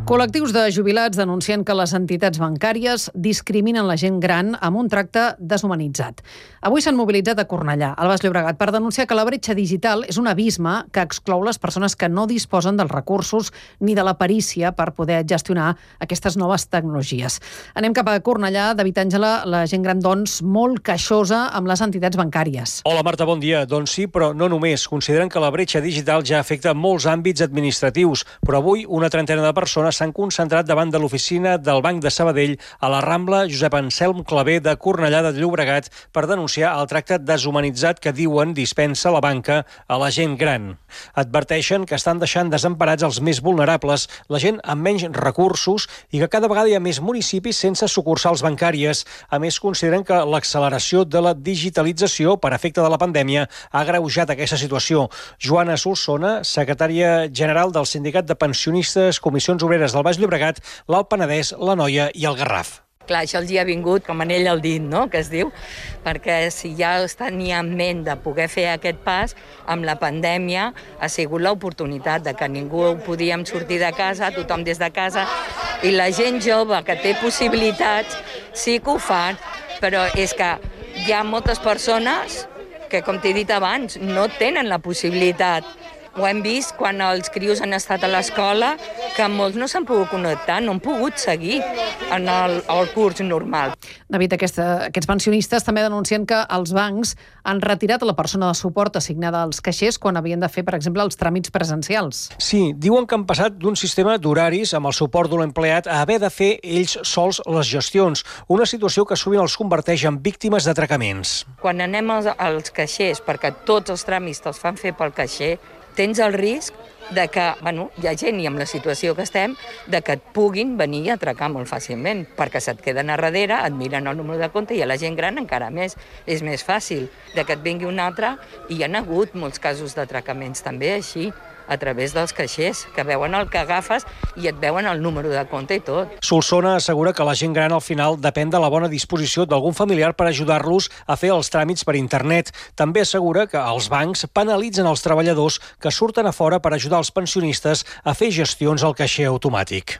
Col·lectius de jubilats denuncien que les entitats bancàries discriminen la gent gran amb un tracte deshumanitzat. Avui s'han mobilitzat a Cornellà, al Baix Llobregat, per denunciar que la bretxa digital és un abisme que exclou les persones que no disposen dels recursos ni de la perícia per poder gestionar aquestes noves tecnologies. Anem cap a Cornellà. David Àngela, la gent gran, doncs, molt queixosa amb les entitats bancàries. Hola, Marta, bon dia. Doncs sí, però no només. Consideren que la bretxa digital ja afecta molts àmbits administratius, però avui una trentena de persones s'han concentrat davant de l'oficina del Banc de Sabadell a la Rambla Josep Anselm Clavé de Cornellà de Llobregat per denunciar el tracte deshumanitzat que diuen dispensa la banca a la gent gran. Adverteixen que estan deixant desemparats els més vulnerables, la gent amb menys recursos i que cada vegada hi ha més municipis sense sucursals bancàries. A més, consideren que l'acceleració de la digitalització per efecte de la pandèmia ha agreujat aquesta situació. Joana Solsona, secretària general del Sindicat de Pensionistes, Comissions Obreres del Baix Llobregat, l'Alt Penedès, l'Anoia i el Garraf. Clar, això els hi ha vingut com anell al dit, no?, que es diu, perquè si ja es tenia en ment de poder fer aquest pas, amb la pandèmia ha sigut l'oportunitat de que ningú podíem sortir de casa, tothom des de casa, i la gent jove que té possibilitats sí que ho fan, però és que hi ha moltes persones que, com t'he dit abans, no tenen la possibilitat. Ho hem vist quan els crios han estat a l'escola, que molts no s'han pogut connectar, no han pogut seguir en el curs normal. David, aquests pensionistes també denuncien que els bancs han retirat la persona de suport assignada als caixers quan havien de fer, per exemple, els tràmits presencials. Sí, diuen que han passat d'un sistema d'horaris amb el suport d'un empleat a haver de fer ells sols les gestions, una situació que sovint els converteix en víctimes d'atracaments. Quan anem als caixers, perquè tots els tràmits te'ls fan fer pel caixer, tens el risc de que, hi ha gent, i amb la situació que estem, de que et puguin venir a atracar molt fàcilment, perquè se't queden a darrere, et miren el número de compte i a la gent gran encara més. És més fàcil de que et vingui un altre, i hi ha hagut molts casos d'atracaments també així, a través dels caixers, que veuen el que agafes i et veuen el número de compte i tot. Solsona assegura que la gent gran al final depèn de la bona disposició d'algun familiar per ajudar-los a fer els tràmits per internet. També assegura que els bancs penalitzen els treballadors que surten a fora per ajudar els pensionistes a fer gestions al caixer automàtic.